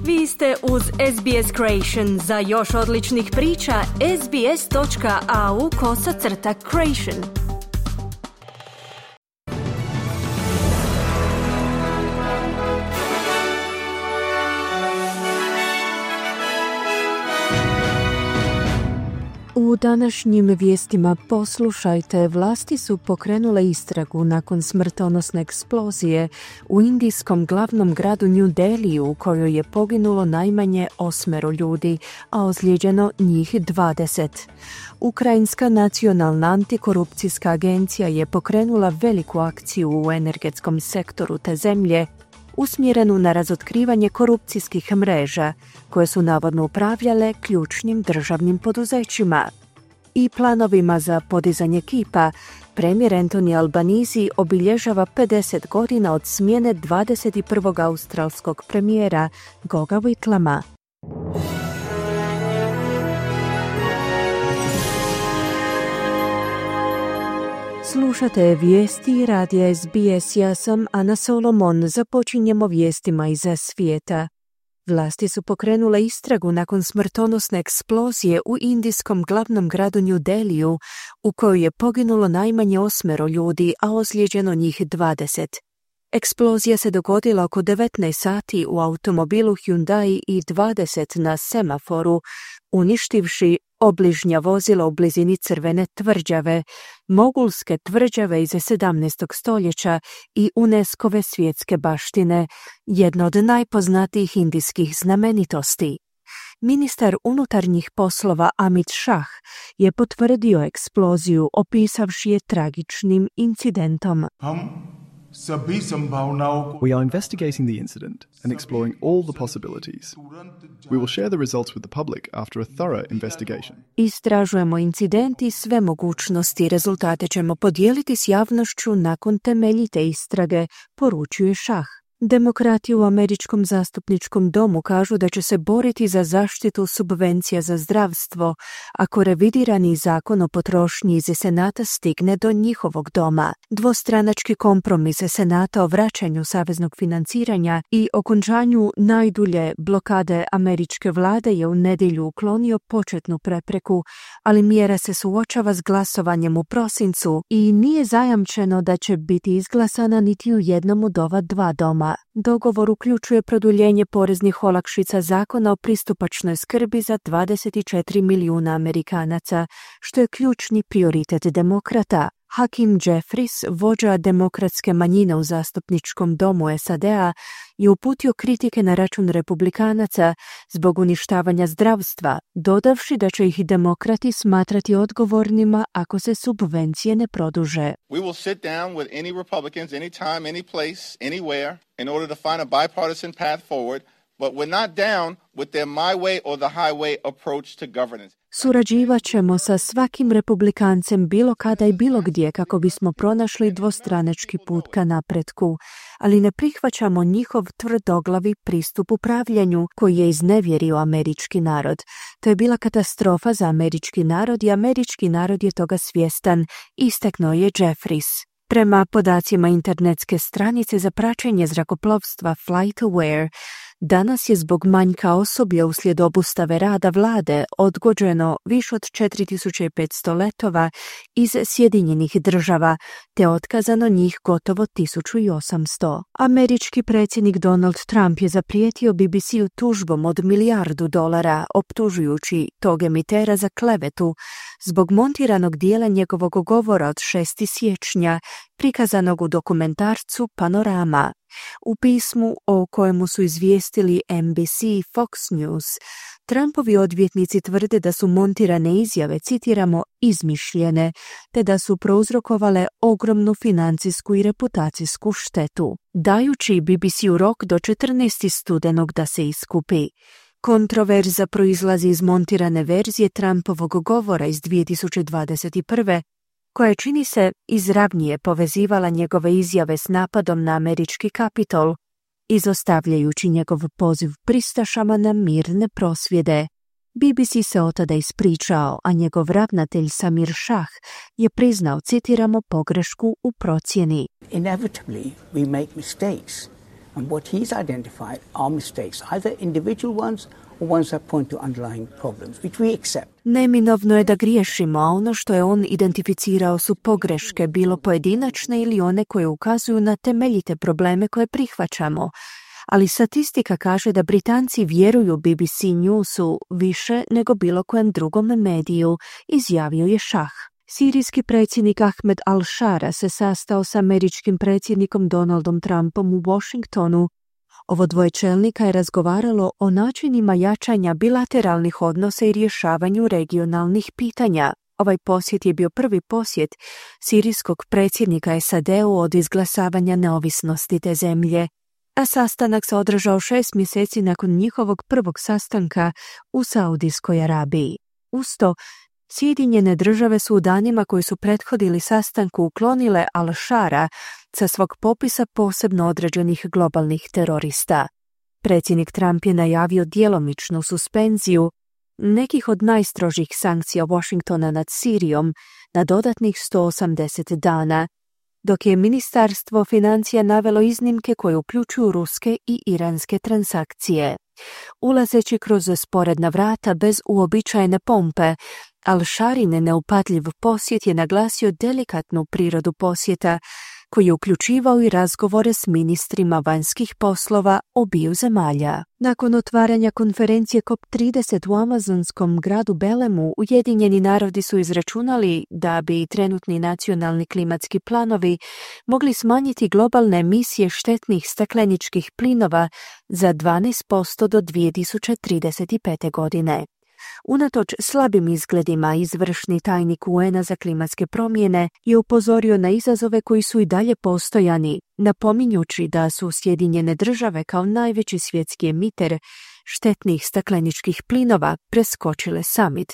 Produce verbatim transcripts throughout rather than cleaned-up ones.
Vi ste uz S B S Creation. Za još odličnih priča, sbs.au kosacrta creation. U današnjim vijestima poslušajte, vlasti su pokrenule istragu nakon smrtonosne eksplozije u indijskom glavnom gradu New Delhiju u kojoj je poginulo najmanje osmero ljudi, a ozlijeđeno njih dvadeset. Ukrajinska nacionalna antikorupcijska agencija je pokrenula veliku akciju u energetskom sektoru te zemlje, usmjerenu na razotkrivanje korupcijskih mreža koje su navodno upravljale ključnim državnim poduzećima. I planovima za podizanje kipa, premijer Anthony Albanese obilježava pedeset godina od smjene dvadeset prvog australskog premijera Goga Whitlama. Slušate vijesti radija S B S, ja sam Ana Solomon, započinjemo vijestima iz svijeta. Vlasti su pokrenule istragu nakon smrtonosne eksplozije u indijskom glavnom gradu New Delhiju u kojoj je poginulo najmanje osmero ljudi, a ozlijeđeno njih dvadeset. Eksplozija se dogodila oko devetnaest sati u automobilu Hyundai i dvadeset na semaforu, uništivši obližnja vozila u blizini Crvene tvrđave, mogulske tvrđave iz sedamnaestog stoljeća i UNESCO-ve svjetske baštine, jedna od najpoznatijih indijskih znamenitosti. Ministar unutarnjih poslova Amit Shah je potvrdio eksploziju, opisavši je tragičnim incidentom. We are investigating the incident and exploring all the possibilities. We will share the results with the public after a thorough investigation. Istražujemo incident i sve mogućnosti. Rezultate ćemo podijeliti s javnošću nakon temeljite istrage, poručuje Shah. Demokrati u Američkom zastupničkom domu kažu da će se boriti za zaštitu subvencija za zdravstvo ako revidirani zakon o potrošnji iz Senata stigne do njihovog doma. Dvostranački kompromis Senata o vraćanju saveznog financiranja i okončanju najdulje blokade američke vlade je u nedjelju uklonio početnu prepreku, ali mjera se suočava s glasovanjem u prosincu i nije zajamčeno da će biti izglasana niti u jednom od ova dva doma. Dogovor uključuje produljenje poreznih olakšica zakona o pristupačnoj skrbi za dvadeset četiri milijuna Amerikanaca, što je ključni prioritet demokrata. Hakeem Jeffries, vođa demokratske manjine u zastupničkom domu S A D-a, je uputio kritike na račun republikanaca zbog uništavanja zdravstva, dodavši da će ih demokrati smatrati odgovornima ako se subvencije ne produže. We will sit down with any Republicans anytime, any place, anywhere in order to find a bipartisan path forward, but we're not down with their my way or the highway approach to governance. Surađivat ćemo sa svakim republikancem bilo kada i bilo gdje kako bismo pronašli dvostranački put ka napretku, ali ne prihvaćamo njihov tvrdoglavi pristup upravljanju koji je iznevjerio američki narod. To je bila katastrofa za američki narod i američki narod je toga svjestan, istaknuo je Jeffries. Prema podacima internetske stranice za praćenje zrakoplovstva FlightAware, danas je zbog manjka osoblja uslijed obustave rada vlade odgođeno više od četiri tisuće petsto letova iz Sjedinjenih država, te otkazano njih gotovo tisuću osamsto. Američki predsjednik Donald Trump je zaprijetio B B C-u tužbom od milijardu dolara, optužujući tog emitera za klevetu zbog montiranog dijela njegovog govora od šestog siječnja, prikazanog u dokumentarcu Panorama. U pismu o kojemu su izvijestili N B C i Fox News, Trumpovi odvjetnici tvrde da su montirane izjave, citiramo, izmišljene, te da su prouzrokovale ogromnu financijsku i reputacijsku štetu, dajući B B C-u rok do četrnaestog studenog da se iskupi. Kontroverza proizlazi iz montirane verzije Trumpovog govora iz dvije tisuće dvadeset prve koja čini se izravnije povezivala njegove izjave s napadom na američki Kapitol, izostavljajući njegov poziv pristašama na mirne prosvjede. B B C se od tada ispričao, a njegov ravnatelj Samir Shah je priznao, citiramo, pogrešku u procjeni. Inevitably we make mistakes. And what he's identified are mistakes, either individual ones or ones that point to underlying problems, which we accept. Neminovno je da griješimo, a ono što je on identificirao su pogreške, bilo pojedinačne ili one koje ukazuju na temeljite probleme koje prihvaćamo. Ali statistika kaže da Britanci vjeruju B B C Newsu više nego bilo kojem drugom mediju, izjavio je Šah. Sirijski predsjednik Ahmed al-Shara se sastao s američkim predsjednikom Donaldom Trumpom u Washingtonu. Ovo dvoje čelnika je razgovaralo o načinima jačanja bilateralnih odnosa i rješavanju regionalnih pitanja. Ovaj posjet je bio prvi posjet sirijskog predsjednika S A D-u od izglasavanja neovisnosti te zemlje, a sastanak se održao šest mjeseci nakon njihovog prvog sastanka u Saudijskoj Arabiji. Uz to, Sjedinjene države su u danima koji su prethodili sastanku uklonile al-Shara sa svog popisa posebno određenih globalnih terorista. Predsjednik Trump je najavio djelomičnu suspenziju nekih od najstrožih sankcija Washingtona nad Sirijom na dodatnih sto osamdeset dana, dok je Ministarstvo financija navelo iznimke koje uključuju ruske i iranske transakcije. Ulazeći kroz sporedna vrata bez uobičajene pompe, al-Sharin neupadljiv posjet je naglasio delikatnu prirodu posjeta, koji je uključivao i razgovore s ministrima vanjskih poslova obiju zemalja. Nakon otvaranja konferencije COP trideset u amazonskom gradu Belemu, Ujedinjeni narodi su izračunali da bi trenutni nacionalni klimatski planovi mogli smanjiti globalne emisije štetnih stakleničkih plinova za dvanaest posto do dvije tisuće trideset pete. godine. Unatoč slabim izgledima, izvršni tajnik U N-a za klimatske promjene je upozorio na izazove koji su i dalje postojani, napominjući da su Sjedinjene države kao najveći svjetski emiter štetnih stakleničkih plinova preskočile summit,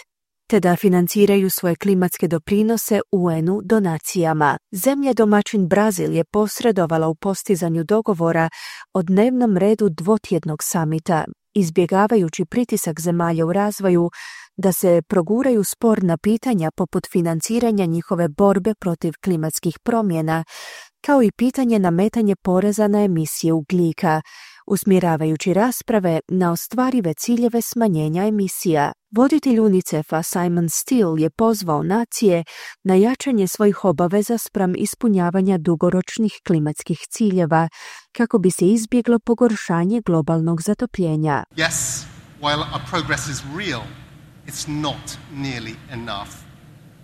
te da financiraju svoje klimatske doprinose U N-u donacijama. Zemlja domaćin Brazil je posredovala u postizanju dogovora o dnevnom redu dvotjednog samita, izbjegavajući pritisak zemalja u razvoju da se proguraju sporna pitanja poput financiranja njihove borbe protiv klimatskih promjena, kao i pitanje nametanje poreza na emisije ugljika, usmjeravajući rasprave na ostvarive ciljeve smanjenja emisija. Voditelj UNICEF-a Simon Still je pozvao nacije na jačanje svojih obaveza spram ispunjavanja dugoročnih klimatskih ciljeva, kako bi se izbjeglo pogoršanje globalnog zatopljenja. Yes, while our progress is real, it's not nearly enough.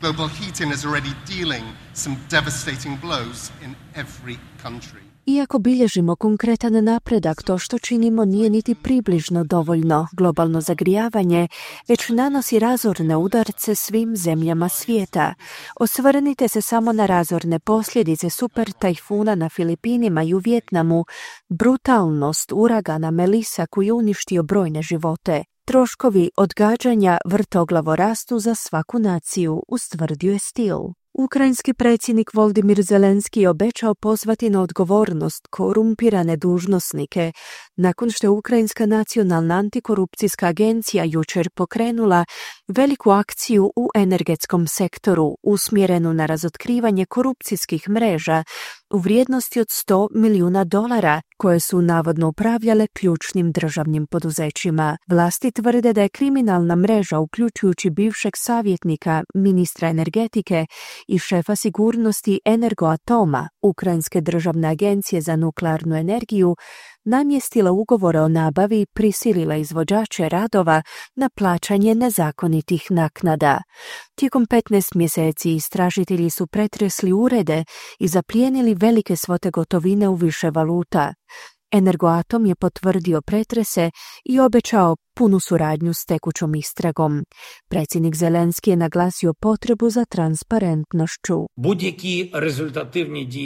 Global heating is already dealing some devastating blows in every country. Iako bilježimo konkretan napredak, to što činimo nije niti približno dovoljno. Globalno zagrijavanje već nanosi razorne udarce svim zemljama svijeta. Osvrnite se samo na razorne posljedice super tajfuna na Filipinima i u Vijetnamu, brutalnost uragana Melissa koji je uništio brojne živote. Troškovi odgađanja vrtoglavo rastu za svaku naciju, ustvrdio je Still. Ukrajinski predsjednik Volodymyr Zelenski je obećao pozvati na odgovornost korumpirane dužnosnike nakon što je Ukrajinska nacionalna antikorupcijska agencija jučer pokrenula veliku akciju u energetskom sektoru usmjerenu na razotkrivanje korupcijskih mreža u vrijednosti od sto milijuna dolara koje su navodno upravljale ključnim državnim poduzećima. Vlasti tvrde da je kriminalna mreža, uključujući bivšeg savjetnika ministra energetike i šefa sigurnosti Energoatoma, Ukrajinske državne agencije za nuklearnu energiju, namjestila ugovore o nabavi i prisilila izvođače radova na plaćanje nezakonitih naknada. Tijekom petnaest mjeseci istražitelji su pretresli urede i zaplijenili velike svote gotovine u više valuta. Energoatom je potvrdio pretrese i obećao punu suradnju s tekućom istragom. Predsjednik Zelenski je naglasio potrebu za transparentnošću.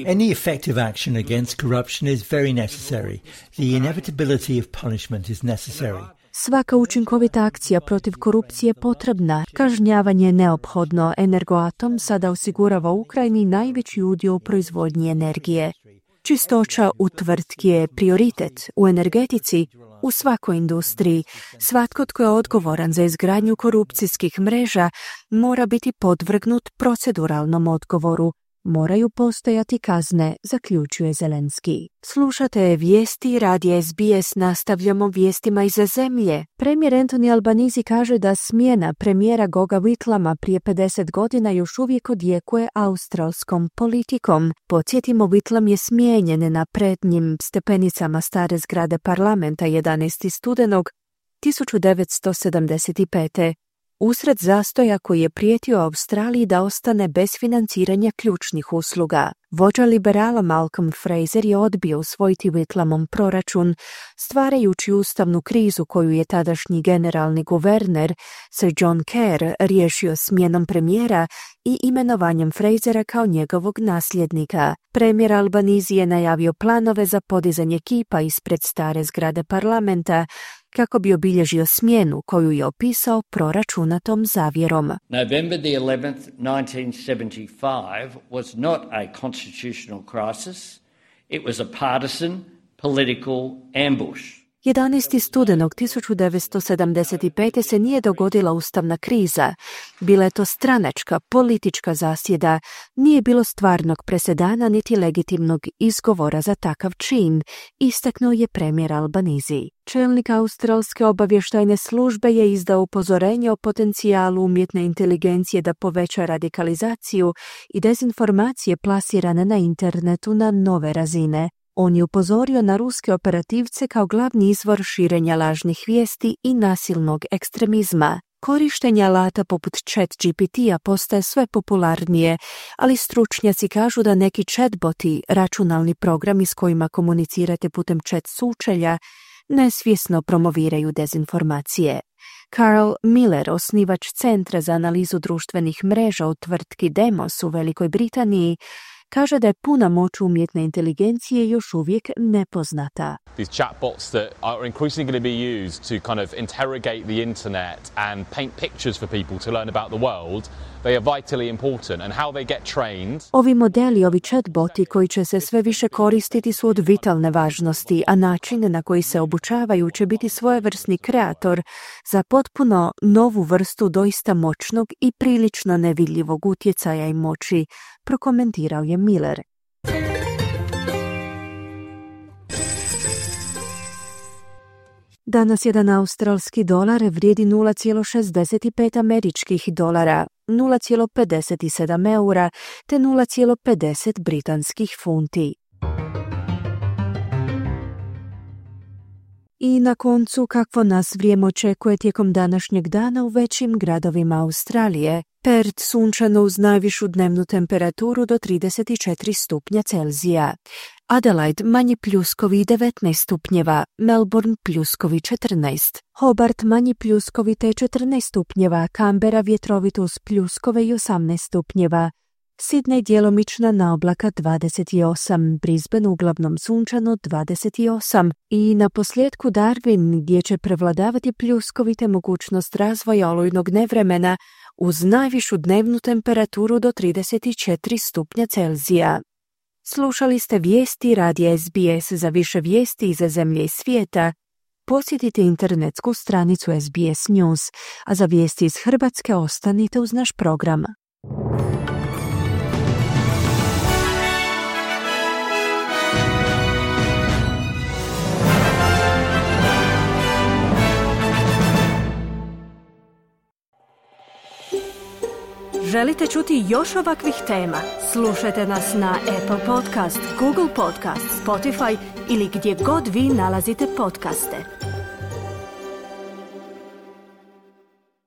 Any effective action against corruption is very necessary. The inevitability of punishment is necessary. Svaka učinkovita akcija protiv korupcije je potrebna. Kažnjavanje je neophodno. Energoatom sada osigurava Ukrajini najveći udio u proizvodnji energije. Čistoća u tvrtki je prioritet u energetici, u svakoj industriji. Svatko tko je odgovoran za izgradnju korupcijskih mreža mora biti podvrgnut proceduralnom odgovoru. moraju postojati kazne, zaključuje Zelenski. Slušate vijesti radija S B S, nastavljamo vijestima iz zemlje. Premijer Anthony Albanese kaže da smjena premijera Goga Whitlama prije pedeset godina još uvijek odjekuje australskom politikom. Podsjetimo, Whitlam je smijenjen na prednjim stepenicama stare zgrade parlamenta jedanaestog studenog tisuću devetsto sedamdeset pete. Usred zastoja koji je prijetio Australiji da ostane bez financiranja ključnih usluga. Vođa liberala Malcolm Fraser je odbio usvojiti Whitlamom proračun, stvarajući ustavnu krizu koju je tadašnji generalni guverner Sir John Kerr riješio smjenom premijera i imenovanjem Frasera kao njegovog nasljednika. Premijer Albanese je najavio planove za podizanje kipa ispred stare zgrade parlamenta kako bi obilježio smjenu koju je opisao proračunatom zavjerom. November the eleventh, nineteen seventy-five was not a constitutional crisis. It was a partisan political ambush. jedanaestog studenog tisuću devetsto sedamdeset pete. se nije dogodila ustavna kriza. Bila je to stranačka, politička zasjeda. Nije bilo stvarnog presedana niti legitimnog izgovora za takav čin, istaknuo je premijer Albanese. Čelnik australske obavještajne službe je izdao upozorenje o potencijalu umjetne inteligencije da poveća radikalizaciju i dezinformacije plasirane na internetu na nove razine. On je upozorio na ruske operativce kao glavni izvor širenja lažnih vijesti i nasilnog ekstremizma. Korištenje alata poput Chat G P T-a postaje sve popularnije, ali stručnjaci kažu da neki chatboti, računalni programi s kojima komunicirate putem chat sučelja, nesvjesno promoviraju dezinformacije. Carl Miller, osnivač Centra za analizu društvenih mreža u tvrtki Demos u Velikoj Britaniji, kaže da je puna moć umjetne inteligencije još uvijek nepoznata. These chatbots that are increasingly going to be used to kind of interrogate the internet and paint pictures for people to learn about the world, they are vitally important, and how they get trained. Ovi modeli, ovi chatboti koji će se sve više koristiti su od vitalne važnosti, a način na koji se obučavaju će biti svojevrsni kreator za potpuno novu vrstu doista moćnog i prilično nevidljivog utjecaja i moći, prokomentirao je Miller. Danas jedan australski dolar vrijedi nula zarez šezdeset pet američkih dolara, nula zarez pedeset sedam eura te nula zarez pedeset britanskih funti. I na koncu, kakvo nas vrijeme očekuje tijekom današnjeg dana u većim gradovima Australije. Perth sunčano uz najvišu dnevnu temperaturu do trideset četiri stupnja Celzija. Adelaide manji pljuskovi devetnaest stupnjeva, Melbourne pljuskovi četrnaest, Hobart manji pljuskovi te četrnaest stupnjeva, Canberra vjetrovito uz pljuskove i osamnaest stupnjeva, Sydney djelomična naoblaka dvadeset osam, Brisbane uglavnom sunčano dvadeset osam i na posljedku Darwin gdje će prevladavati pljuskovi te mogućnost razvoja olujnog nevremena uz najvišu dnevnu temperaturu do trideset četiri stupnja Celzija. Slušali ste vijesti radija S B S. Za više vijesti iz zemlje i svijeta posjetite internetsku stranicu S B S News, a za vijesti iz Hrvatske ostanite uz naš program. Želite čuti još ovakvih tema? Slušajte nas na Apple Podcast, Google Podcast, Spotify ili gdje god vi nalazite podcaste.